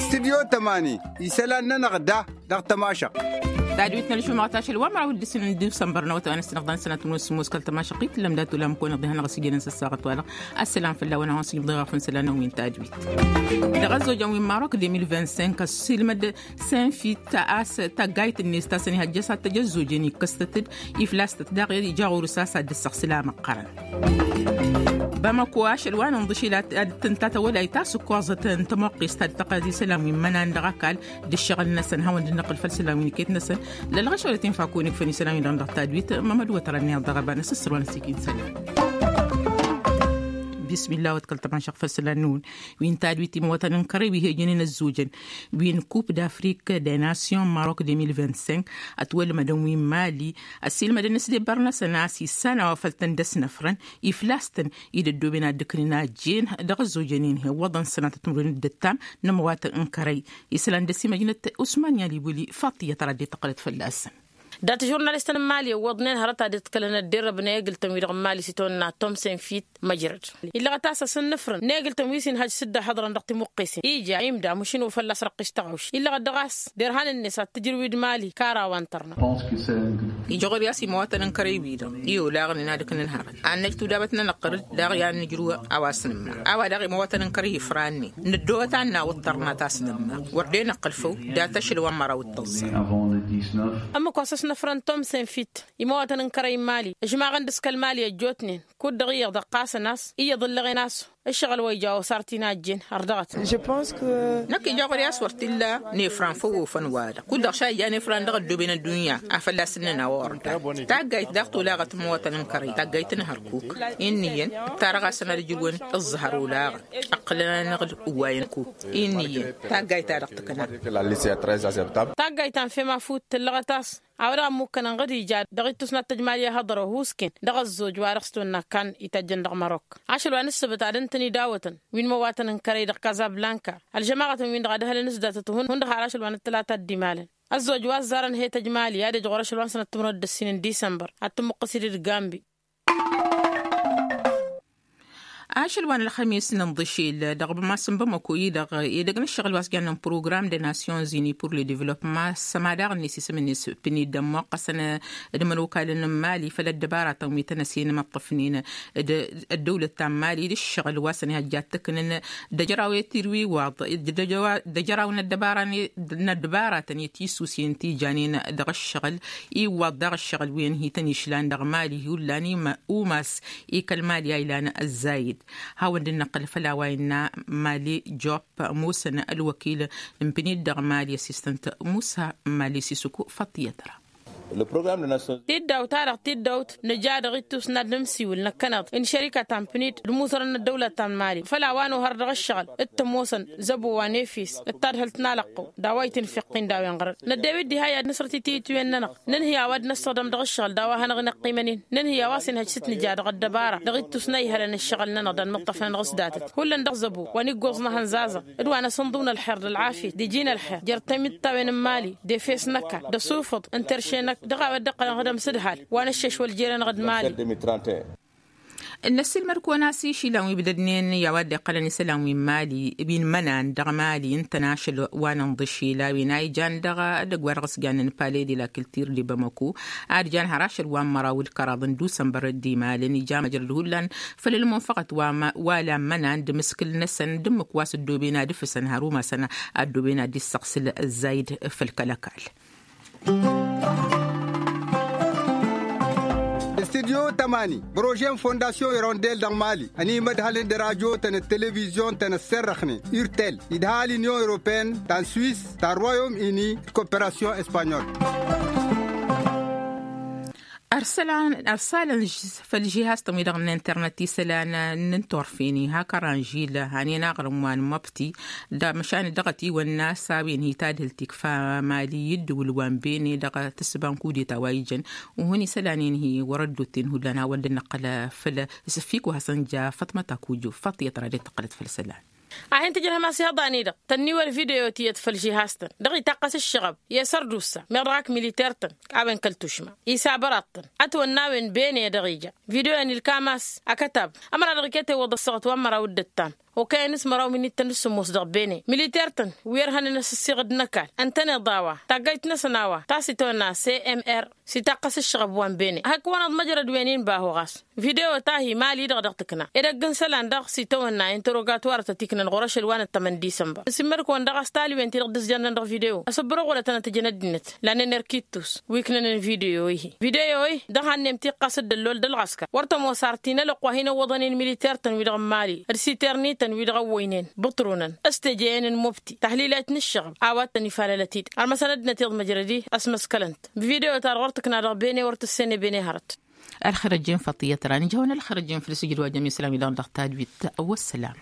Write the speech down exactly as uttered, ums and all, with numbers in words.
Stidyo tămani isălan-nănăɣ da dăɣ-tămašăɣt. Tadwit n-ălšumăɣ tašăl wa măraw d-isǝn n-dusănbăr n-awătay wa n-ăssinăɣ d-anăsănat n-wăsmos kăl-tămašăɣ-t lăm dat-ulam kăwănăɣ d-ihănăɣ s-ijănen s-ăssaɣăt wa-dăɣ. Ăssălam fălla-wen a hawăn-sǝjǝm dăɣ-afănsa la n-wi n-tadwit. Dăɣ-ăzzojăn wi n-marok de mil vingt-cinq ăssiilmăd senfit a-s taggayt-net ta s-ănihăjjăs ad-t-ăj ăzzojen ikkăs-tăt-dd iflas-tăt daɣ ija ɣur-s a-s ad-dd-ăssăɣ sǝlam ăqqărăn. Bamăko ašăl wa n-inḍǝšil ad-tǝnta tăwălayt ta s-ǝkkoẓăt n-tămoqqest ta d-tăqqălăt isălan wi n-imănan dăɣ-ăkall d-ǝššăɣǝl-năsăn hawăn-dd-năqqǝl făll-isălan wi n-iket-năsăn. Lălɣăšăwălăt infa kăwăn-ikfăn isălan wi-dăɣ dăɣ-tadwit mămăd wătărăn iyyăḍ dăɣ-ăbanăs ǝssăr wa n-ăsikid isălan. Bismillah wăt kăl-tămašăɣ făll-isălan-năwăn wi n-tadwit imăwătăn n-kărăy wi he-ǝjǝnen ăzzojăn wi n-kup d-afrik de nasyon marok de mil vingt-cinq ătwălmădăn wi n-mali ăssiilmădăn s-debbăr-năsăn a-s issan a-wa făl tăn-dd-ăsnăfrăn iflas-tăn-i d-ăddooben ad-dd-ǝknen ajjen dăɣ-ăzzojăn-in hi-ăwwăḍăn sănatăt timǝrwen d-ǝttam n-ămăwatăn n-kărăy. Isălan d-ăsimăjnăt usman i-alibuli faṭiyăt ara dd-tăqqălăt fălla-săn. Dat-žurnalistăn n-mali ăwwăḍnen hărăt ad-ǝḍkălăn ădderrăb n-egǝltăn-wi-dăɣ n-mali s-itawănna tom senfit măjrăd. Illăɣăt a-s asǝnnǝfrăn n-egǝltăn wi s-inhăj s-dd-ăhhăḍrăn dăɣ-timuqqesen ija imda mušǝn ufălla s-răqqis tăɣawš illăɣăt dăɣ-a-s derhan-net ad-t-ǝjrǝw d-mali kara wa n-tărna. Ija ɣur-i a-s imawatăn n-kărăy-wi-dăɣ i-olaɣnen ad-ǝknăn hărăt ad-năj tudabăt n-anăqqăr-dd daɣ i-ad-nǝjrǝw a-wa s-nǝmma a-wa daɣ imawatăn n-kărăy ifrannen nǝddohăt ad-nawăḍ tărna ta s-nǝmma wăr dd-enăqqǝl făw. Dat-ašăl wa n-măraw d-tăẓẓa. Ămmǝk wa s-ăsnăfrăn tom senfit imawatăn n-kărăy n-mali ǝžmaɣăn dăɣ-s kăl-mali ăjjootnen kud-dăɣ iyyăḍ ǝqqasăn a-s iyyăḍ ǝllăɣen a-s ǝššăɣǝl wa ija osar t-inajjen har dăɣ-t. Năkk ija ɣur-i a-s wăr t-illa nefran făw ofăn-wa-dăɣ kud-dăɣ šajja nefran dăɣ-ăddooben ăddunya a fălla-s ǝnnăn a-wa wăr-dd. Taggayt daɣ tolăɣăt n-imawatăn n-kărăy taggayt n-hărkuk. Inn'-iyyăn ǝttarăɣ-asăn ad-ǝjrǝwăn ǝẓẓăhăr olaɣăn ǝqqǝlăn-anăɣ-dd ǝwwayăn kuk. Inn'-iyyăn taggayt-ta-dăɣ tǝkna. Taggayt ta n-fem afut tǝllăɣăt a-s a-wa dăɣ-ămmukkănăn ɣǝd ija dăɣ-ittus n-ad-tăjmal i-ahăḍăr ohusken dăɣ-ăzzoj wa dăɣ-s tonna kan itajjăn dăɣ-mărok. Ašăl wa n-ǝssǝbǝt ad-ǝntăn idawătăn wi n-imăwatăn n-kărăy dăɣ-kazablanka ălžămaɣătăn-win-dăɣ ad-ăhălăn s-datăt hundăɣ har ašăl wa n-ăttălata dd-imalăn. Ăzzoj wa ăzzarăn he-tăjmali ad-ej ɣur-ašăl wa n-sănăt timrăd d-ǝssin n-disămbăr ad-tǝmmuqqǝs-dd gambi. Ašăl wa n-ălxămis n-inḍǝšel dăɣ-bămas n-bamăko-i-dăɣ edăgg n-ǝššăɣǝl wa s-jannen program de nasyonzini pur le devlopma s-ămadaɣ-net isǝm-net pǝnid ămmoqqăsăn d-imănokalăn n-mali făll-ăddăbaratăn wi tăn-ăsinmăṭṭăfnen d-ăddăwlăt ta n-mali d-ǝššăɣǝl wa s-ănihăjja ad-t-ǝknǝn d-ăjraw i-tirwiwaḍ d-ăjraw n-ăddăbara n-ăddăbaratăn i-tisusen ti janen dăɣ-ǝššăɣǝl. Iwwaḍ daɣ ǝššăɣǝl wi ănhităn išlan dăɣ-mali hullan umas i-kăl-mali a ilan ăzzayǝd. Hawăn-dd năqqǝl făll-a-wa innă mali job musăn ălwăkil n-pǝnit dăɣ-mali ăsistăn-t musa mali sisuku făṭṭiyăt ra. Tiddawt-ta-dăɣ tiddawt nǝja dăɣ-ittus n-ad-nǝmsiwǝl năkkăneḍ n-šărika ta n-pǝnit d-imusărăn n-ăddăwlăt ta n-mali făll-a-wa n-ohăr dăɣ-ǝššăɣǝl d-tămoosăn zăbo wa n-efes d-tadhǝlt n-alăqqu d-a-wa itǝnfeqqin d-a-wen ɣărăt năddew-dd diha i-ad-nǝsrăt ititǝwen-nănăɣ. Nǝnhǝy a-wa d-năssăɣdăm dăɣ-ǝššăɣǝl d-a-wa hanăɣ-inăqqimăn-in nǝnhǝy a-wa s-inhăj s-nǝja dăɣ-ăddăbara dăɣ-ittus n-a ihălăn ǝššăɣǝl-nănăɣ d-anmǝṭṭăfnăn dăɣ-s datăt hullan dăɣ-zăbo wa n-iggoẓ n-ehăn zazăɣ d-wa n-asǝnḍǝw n-ălxer d-ălɣafyăt d-iji n-ălxer jer-tamǝttawen n-mali d-efes n-ăkall d-asufǝḍ n-terše-năk dăɣ-a-wa dd-iqqălăn ɣǝdăm s-ǝdhal wa n-ǝššeš wăl jere-năɣ d-mali. Ǝnnăsilmăd-kăwăn a-s išilăn wi ǝbdădnen i-a-wa dd-iqqălăn isălan wi n-mali wi n-imănan dăɣ-mali ǝntăn ašăl wa n-inḍǝšil a-wen a ijan dăɣ-edăgg wa dăɣ-s jannen pale de la kiltir de bamako ad-jan har ašăl wa n-măraw d-kăraḍ n-dusănbăr d-imalăn ija măjrăd hullan făll-ălmunfăɣăt wa lan imănan d-imǝskǝl-năsăn d-ǝmmǝk wa s-ăddooben ad-ǝfǝsăn har umasăn a ăddooben ad-dd-issăɣsǝl ăzzayǝd făll-kăl-ăkall. Studyo tămani bărože n-fondasyon irondel dăɣ-mali ănimădhălăn d-radyo-tăn d-televizyon-tăn ăsserrăxnen urtel idha l-inyon europene ta n-swis ta n-royom ini d-koperasyon espanyol. Ărsalăn făll-žihaz-tăn wi-dăɣ n-internet isălan n-inturfen ihak ăranžil hanen aɣrǝm wa n-măbti d-măšan dăɣ-ătiwănna s-a-wen hi-tadhǝlt ikfa mali i-ǝddǝwǝl wa n-bene dăɣ-tǝssǝba n-kudeta wa ijăn. Uhǝn isălan-in hi-wăr-ăddoten hullan hawăn-dd-năqqăl făll-isǝffik wa hasăn-ja făṭmăt akujo făṭ i-ătra d-tăqqălăt făll-isălan. A hin-tǝjrăhăm a-s ihăḍan-i-dăɣ tănniwăl video ti iyyăt făll-žihaz-tăn dăɣ-itaqqăs ǝššăɣăb i-asărdusa meɣ dăɣ-ak militer-tăn. A-wen kăl-tušma isabăraḍ-tăn ătwănna a-wen bene dăɣ-ija video-en ilkam a-s akătab ămăra dăɣ-iket iwwăḍ ăssaɣăt wa n-măraw d-ǝttam okăyăn s-măraw minittăn s-sǝmmos dăɣ-bene militer-tăn wi ărhănen asǝssiɣǝd n-ăkall ǝntăneḍ a-wa taggajt-năsăn a-wa ta s-itwănna cmr s-itaqqăs ǝššăɣăb wa n-bene hak-wăn-ăḍmăjrăd wen-in bahu ɣas. Video ta hi-mali-dăɣ dăɣ-tǝkna edăgg n-isălan dăɣ-s itawănna interogatuwarătăt iknăn ɣur-ašăl wa n-ăttămăn disămbăr s-immărkăwăn dăɣ-a-s talwen-ti-dăɣ dăẓjănnăn dăɣ-video ăsǝbbărăɣ wălătăn ad-tǝjăn ăddinăt. Lanen erkittus wi ǝknănen video-i video-i dăɣ-hannem tiqqas d-ăllol d-ălɣăskăr wăr tămoos ar tinălăqq wa hin-ăwwăḍăn i-inmiliter-tăn-wi-dăɣ n-mali d-siter-nităn wi-dăɣ ăwwăynen bǝṭrunăn s-teje-en n-mobti tahlilăyt n-ǝššăɣb a-wa t-tăn-ifalălăt-dd. Ărmăsăn ăddinăt iḍmăjrăd-i ăsmăskălăn-t. Bǝvideo-ta-dăɣ wăr tǝkna dăɣ-bene wăr tǝssen i-bene hărăt. Ălxărăj-en făṭiyăt ra nǝjhăwăn ălxărăj-en făll-sǝjdwajăm isălan-wi-dăɣ dăɣ-tadwit. Wăssălam.